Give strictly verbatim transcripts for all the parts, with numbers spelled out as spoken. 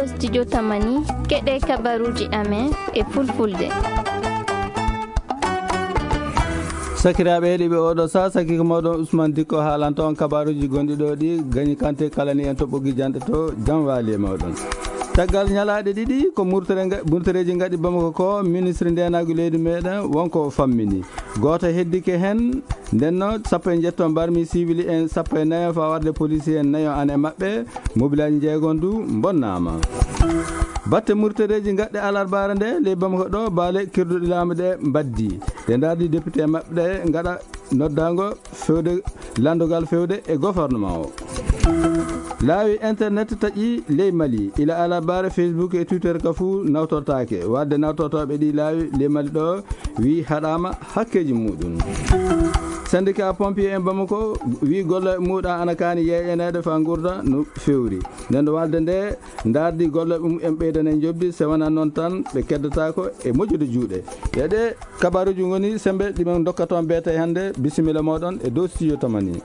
Studio Tamani, keɗe kabaruji amen e fulfulde. Sakiraaɓe heɗiiɓe, oɗo sa saki ko mawɗon Ousmane Dikko haalanta on kabaruji gonɗi ɗo ɗi, gañi kante kala ni en to ɓoggi janɗe to, jam waali e mawɗon. Caggal ñalaaɗe ɗiɗi ko murtere nga-, murtereeji ngaɗi Bamako ko, ministre ndeenaagu leydi meɗen wonko o fammini. Gooto heddike hen, nden no sappo e njetto mbarmi civil en sappo e nayo faa warde policier en nayo an e maɓɓe, mobilaaji jeegom du mbonnaama. Batte murtereeji ngaɗɗe alarbaare nde ley Bamako ɗo, baale kirduɗi laamu ɗe mbaddi. Ɗe ndaardi député maɓɓe ɗe ngaɗa noddaango fewde, lanndogal fewde e gouvernement o. Laawi internet taƴi ley Mali. Ila alarbaare, Facebook e Twitter ka fuu nawtortaake. Wadde nawtortooɓe ɗi laawi ley Mali ɗo wi haɗaama hakkeeji muɗum. Syndicat pompier en Bamako wi golle muɗa ana kaani yeeƴaneede faa ngurda no fewri. Nden ɗo walde nde ndaardi golle ɗum en ɓeydane njoɓdi, se wonaa noon tan ɓe keddataako e moƴƴude juuɗe. E ɗe kabaruji ngoni sembe ɗi men dokkata on beete hannde. Bisimilla mooɗon e dow studio Tamani.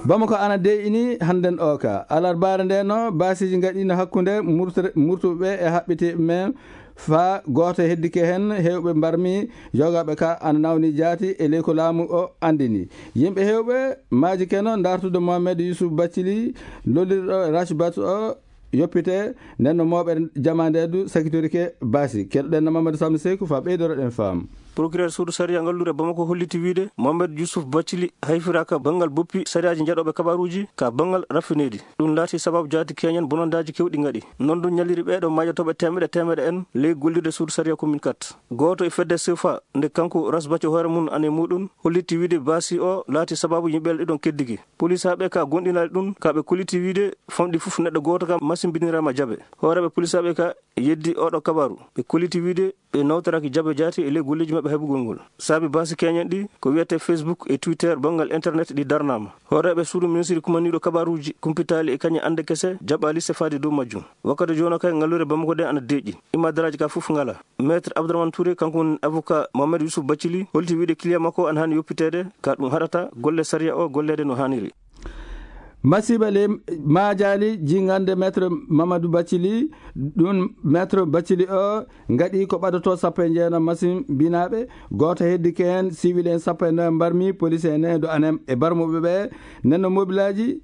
Bamako ana deeƴini hannden o ka. Alarbaare nde no baasiiji ngaɗino hakkunde murtre-, murtuɓe e haɓɓitiiɓe men faa gooto heddike hen. Heewɓe mbarmi yogaaɓe ka ana nawni jaati e ley ko laamu o anndini. Yimɓe heewɓe maaji keno ndaartude Mohamed Youssouf Bathily, lollirɗo Rachbat o yoppite, nden no mooɓere jamaande du sakitorike baasi. Keɗoɗen no Mamadou Samb Seeku faa ɓeydoroɗen faam. Procureur suudu sariya ngalluure Bamako holliti wiide Mohamed Youssouf Bathily hayfiraaka banngal boppi sariyaaji njaɗooɓe kabaruuji ka banngal raffineedi. Ɗum laati sababu jaati keñen bonondaaji kewɗi ngaɗi. Noon du ñalliri ɓeeɗo maajotooɓe teemeɗe teemeɗe en ley gollirde suudu sariya commune quatre. Gooto e fedde sefa nde kanko Rasbaco hoore mum ane muɗum holliti wiide baasi o laati sababu yimɓe ɗiɗon keddiki. Polisaaɓe ka gonɗinaali ɗum ka ɓe kolliti wiide famɗi fof neɗɗo gooto kam masimbiniraama jabe. Hooreeɓe polisaaɓe ka yeddi oɗo kabaru. Ɓe kolliti wiide ɓe nawtoraki jabe jaati e ley golleeji maɓɓe heɓugol ngol. Saabi baasi keñen ɗi ko wiyete Facebook e Twitter banngal internet ɗi darnaama. Hooreeɓe suudu ministiri kumaniiɗo kabaruuji kumpitaali e kañe annde kese jaɓaali sefaade dow majjum. Wakkati jooni kay ngalluure Bamako ɗe ana deeƴi. Imadaraaji ka fof ngala. Maître Abdourahmane Touré, kanko woni avocat Mohamed Youssouf Bathily, holti wiide client makko ana haani yoppiteede, ka ɗum haɗata golle sariya o golleede no haaniri. Masiba le maajaali jingande Maître Mamadou Bathily, ɗum Maître Bathily o ngaɗi ko ɓadoto sappo e jeenayi masimbinaaɓe, gooto heddike heen, civil en sappo e nayo mbarmi, police en nayo do anem e barmuɓe ɓe, nenno mobilaaji,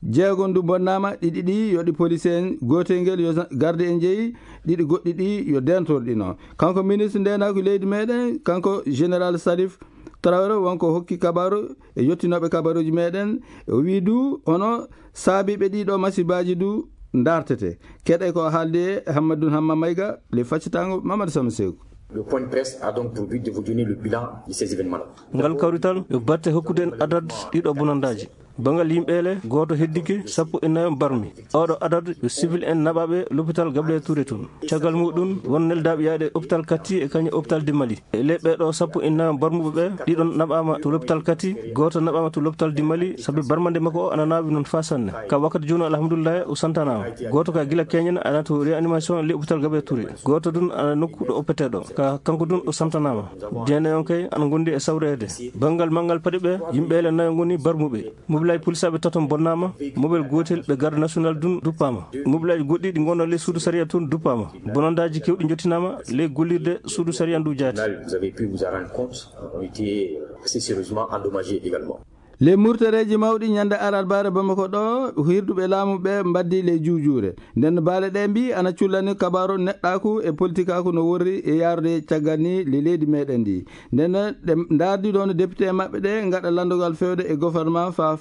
jeegom du bonnaama, ɗiɗi ɗi yo ɗi police en, gootel ngel yo sa-, garde en jeyi, ɗiɗi goɗɗi ɗi yo dentorɗi no. Kanko ministre ndeenaagu leydi meɗen, kanko général Salif Traoré, wonko hokki kabaru e yottinooɓe kabaruuji meɗen, o wii du hono saabiiɓe ɗiɗo masibaaji du ndaartete. Keɗe ko haaldi e Hammadou Hamma Mayga, le faccitango Mamadou Sama Seeku. Le point de presse a donc pour but de vous donner le bilan de ces événements-là. Ngal kawrital yo batte hokkude en adad ɗiɗo bonondaaji. Bangal yimɓe le, gooto heddike, sappo e nayo mbarmi. Oɗo adad yo civil en naɓaɓe l'hôpital Gabriel Touré toon. Caggal muɗum, won neldaaɓe yaade hôpital Kati e kañum hôpital du Mali. E ley ɓeeɗo sappo e nayo mbarmuɓe ɓe, ɗiɗon naɓaama to l'hôpital Kati, gooto naɓaama to l'hôpital du Mali, sabi barmande makko o ana naawi noon faa sanne. Ka wakkati jooni, alhamdulillahi, o santanaama. Gooto ka gila keñen ana to réanimation ley hôpital Gabriel Touré. Gooto dun ana nokku ɗo oppeteɗo. Ka kanko dun o santanaama. Jeenayon kay ana ngondi e sawreede. Bangal mangal paɗe ɓe, yimɓe le nayo ngoni barmuɓe. Mobilaaji polisaaɓe taton bonnaama, mobel gootel ɓe garde national dun duppaama. Mobilaaji goɗɗi ɗi ngonno ley suudu sariya tun duppaama. Bonondaaji kewɗi njottinaama ley gollirde suudu sariya ndu jaati. Vous avez pu vous en rendre compte, ont été assez sérieusement endommagés également. Ley murtereeji mawɗi ñande alarbaare Bamako ɗo, hirduɓe laamu ɓe mbaddi ley juujuure. Nden baale ɗe mbi ana cullani kabaru neɗɗaaku e politikaaku no worri e yaarude caggal ni ley leydi meɗen ndi. Nden ɗe ndaardi ɗon député maɓɓe ɗe ngaɗa lanndogal fewde e gouvernement fa,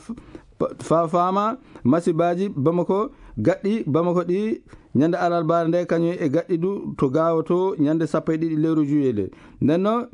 fa faama masibaaji Bamako gaɗɗi Bamako ɗi ñande alarbaare nde, kañum e gaɗɗi du to Gaawo to ñande sappo e ɗiɗi lewru juillet nde. Nden no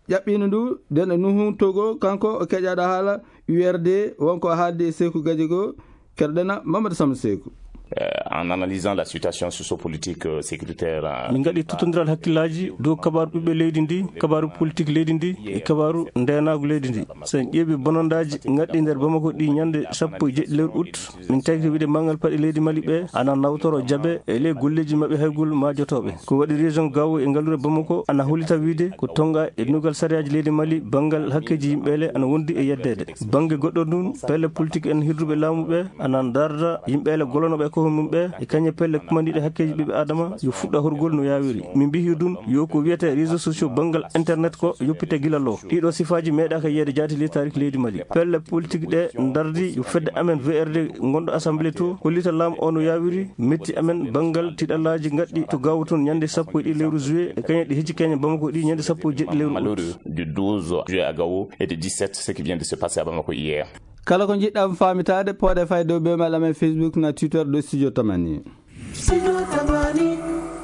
ƴaɓɓino ndu, nden e Nuhu Togo, kanko o keƴaɗo haala U R D, wonko haaldi e Seeku Gadiago, keɗoɗen Mamadou Samba Seeku. Euh, en analysant la situation socio-politique, euh, sécuritaire, euh, min ngaɗi tottondiral hakkillaaji dow kabaaru ɓiɓɓe leydi ndi, kabaaru politique leydi ndi, e kabaaru ndeenaagu leydi ndi. So en ƴeewi bonondaaji ngaɗɗi nder Bamako ɗi ñande sappo e jeɗɗi lewru août, min tawti wiide manngal paɗe leydi Mali ɓe ana nawtoro jabe e ley golleeji maɓɓe haygol maajotooɓe. Ko waɗi région Gao e ngalluure Bamako ana hollita wiide ko tonnga e ndugal sariyaaji leydi Mali banngal hakkeeji yimɓe le ana wondi e yeddeede. Bannge goɗɗo ndun, pelle politique en hirduɓe laamu ɓe ana ndaarda yimɓe le golonooɓe Ko mum ɓe e kañe pelle kumandiiɗe hakkeeji ɓiɓɓe Adama yo fuɗɗa horgol no yaawiri. Min mbihi ɗum yo ko wiyetee réseaux sociaux banngal internet ko yoppite gila lo. Ɗiɗo sifaaji meeɗaaka yiyeede jaati ley taariki leydi Mali. Pelle politique ɗe ndardi yo fedde amen V R D gonɗo assemblée to hollita laamu o no yaawiri, metti amen banngal tiɗallaaji ngaɗɗi to Gaawo toon ñande sappo e ɗiɗi lewru juillet, e kañe ɗi hecci keñe Bamako ɗi ñande sappo e jeɗɗi lewru août. Malheureux du douze juillet à Gao et du dix-sept, ce qui vient de se passer à Bamako hier. Kala ko njiɗɗa faamitaade, pooɗe fay dow ɓe mala men Facebook na Twitter ɗo Studio Tamani.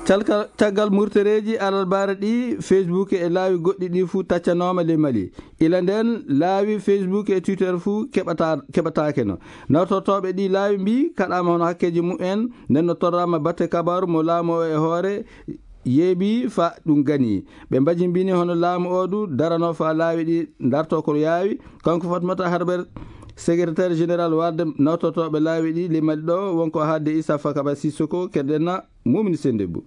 Calka-, caggal murtereeji alarbaare ɗi, Facebook e laawi goɗɗi ɗi fuu taccanooma ley Mali. Ila ndeen laawi Facebook e Twitter fuu keɓata-, keɓataake no. Nawtortooɓe ɗi laawi mbii kaɗaama hono hakkeeji mumen, nden no torraama batte kabaaru mo laamu o e hoore yeeɓi fa ɗum gani. Ɓe mbajimbini hono laamu o du darano fa laawi ɗi darto ko yaawi. Kanko Fatmata Harber, secrétaire général warde nawtortooɓe laawi ɗi ley Mali ɗo, wonko haalde Issa Fakaba Sissoko, keɗen na Mumini Sendebbo.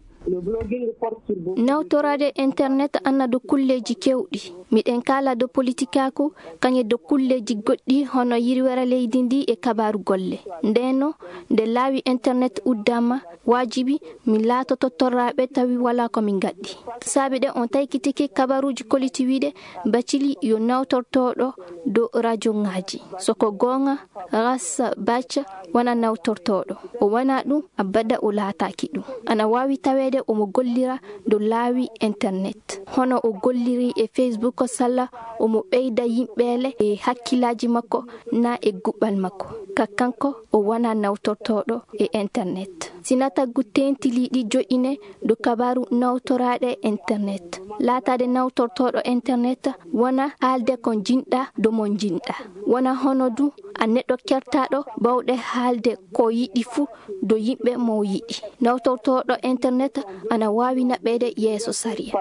Nawtoraade internet ana do kulleeji kewɗi. Miɗen kaala do politikaaku, kañe do kulleeji goɗɗi hono yirwere leydi ndi e kabaaru golle. Ndeno, nde laawi internet uddama, waajibi min laatoto torraaɓe tawi walaa ko min ngaɗɗi. Saabi ɗe on taykitike kabaruuji koliti wiide Bacili yo nawtortooɗo do rajoŋaaji. So ko goonga, Ras Bac wona nawtortooɗo. O wona ɗum, abada o laataaki ɗum. Ana waawi taweede omo gollira do laawi internet. Hono o golliri e Facebook salla omo ɓeyda yimɓeele e hakkillaaji makko na e guɓɓal makko. Ka kanko o wona nawtortooɗo e internet. Sina taggu teentiliiɗi joƴƴine do kabaaru nawtoraaɗe internet. Laataade nawtortooɗo internet wona haalde ko njiɗɗa do mo njiɗɗa. Wona hono du a neɗɗo kertaaɗo bawɗe haalde ko yiɗi fuu do yimɓe mo yiɗi. Nawtortooɗo internet ana waawi naɓeede yeeso sariya.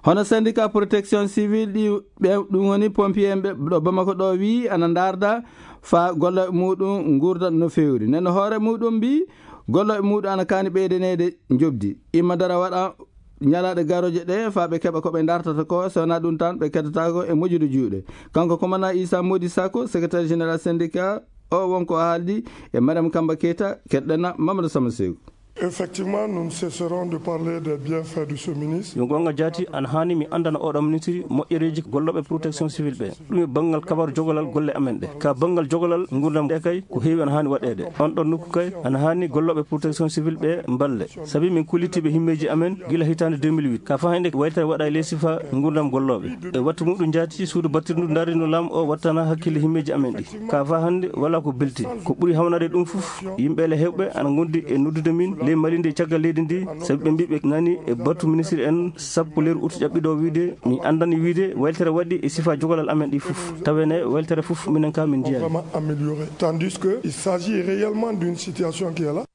Hono syndicat protection civile ɗi, ɓe, ɗum woni pompier en ɓe ɗo Bamako ɗo, wii ana ndaarda fa golle muɗum ngurda no feewri. Nden hoore muɗum mbii golle muɗum ana kaani ɓeydaneede njoɓdi. Imma dara waɗa ñalaaɗe garooje ɗe fa ɓe keɓa ko ɓe ndartata ko, so wonaa ɗum tan ɓe keddataako e moƴƴude juuɗe. Kanko ko mana Issa Modi Sako, secrétaire général syndicat o, wonko o haaldi e Mariam Kamba Keita, keɗɗen na Mamadou Sama Seeku. Effectivement, nous ne cesserons de parler des bienfaits de ce ministre. Yo goonga jaati, ana haani mi anndana oɗo ministre moƴƴereeji gollooɓe protection civile ɓe. Ɗum e banngal kabaru jogolal golle amen ɗe. Ka banngal jogolal ngurdam ɗe kay, ko heewi ana haani waɗeede. On ɗon nokku kay, ana haani gollooɓe protection civile ɓe mballe. Sabi min kullitiiɓe himmeeji amen gila hitaande deux mille huit. Ka faa hannde waytere waɗa e ley sifa ngurdam gollooɓe. E wattu muɗum jaati, suudu battirdu ndaarino laamu o wattana hakkille himmeeji amen ɗi. Ka faa hannde wala ko belti. Ko ɓuri hawnaade ɗum fof, yimɓe le heewɓe ana ngondi e noddude min ley Mali nde caggal leydi ndi, sabi ɓe mbii ɓe nani e batu ministre en sappo lewru août ƴaɓɓiɗo o wiide, mi anndani wiide weltere waɗi e sifa jogalal amen ɗi fof. Tawene weltere fof minen ka min njiyaani. Vraiment amélioré. Tandis que il s'agit réellement d'une situation qui est là.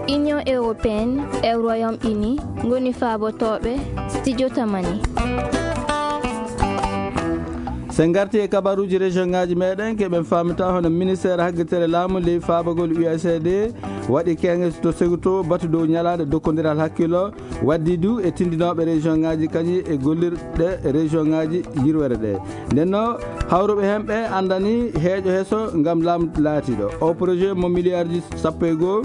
Union européenne e Royaume-Uni ngoni faabotooɓe Studio Tamani. So en ngarti e kabaruuji région ngaaji meɗen, keɓen faamata hono ministère haggitere laamu ley faabagol U S A I D waɗi keŋŋe to Seguto batu dow ñalaande dokkondiral hakkillo, waddi du e tindinooɓe région ngaaji kañi e gollirɗe région ngaaji yirwere ɗe. Nden no hawruɓe heen ɓe anndani heeƴo heso ngam laamu laatiiɗo. O projet mo milliardji sappo e goo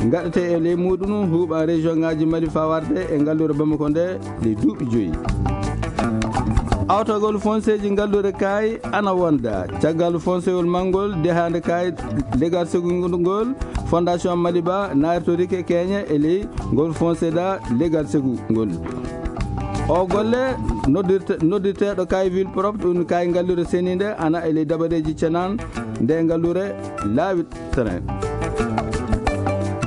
ngaɗete e ley muɗum huuɓa région ngaaji Mali faa warde e ngalluure Bamako nde ɗi duuɓi joyi. Awtagol fonseeji ngalluure kaay ana wonda. Caggal fonsewol manngol dehaande kaay legal segungol ngol, Fondation Maliba naartorike keeñe e ley ngol fonseda legal segu ngol. O golle noddirte-, noddirteeɗo kaay ville propre, ɗum kaay ngalluure seniinde ana e ley dabareeji cenan nde ngalluure laawi tren.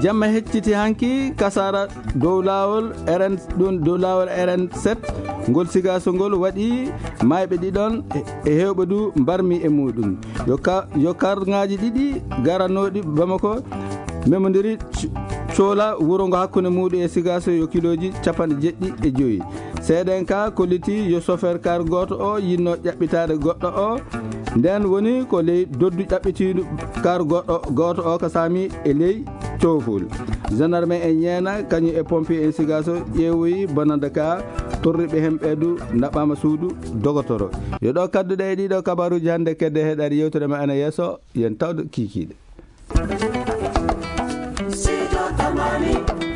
Jamma hecciti hanki kasara dow laawol R N, ɗum dow laawol R N sept, ngol Sigaso ngol waɗi maayɓe ɗiɗon e, e heewɓe du mbarmi e muɗum. Yo ka-, yo karŋaaji ɗiɗi garanooɗi Bamako memondiri c-, coola wuro ngo hakkunde muɗum e Sigaso yo kilooji capanɗe jeɗɗi e joyi. Seeɗen ka kolliti yo chauffeur car gooto o yinno ƴaɓɓitaade goɗɗo o. Nden woni ko ley doddu ƴaɓɓitiiɗo car goɗɗo, gooto o ka saami e ley coofol. Gendarme en ñeena kañum e pompier en Sigaso ƴeewoyi bonande ka Torriɓe hemɓe du naɓɓama suudu dogotoro. Yo ɗo kadduɗe e ɗiɗo kabaruji hannde kedde heɗari yewtere ma ana yeeso, yen tawdo kikiɗe. Sijo Tamani.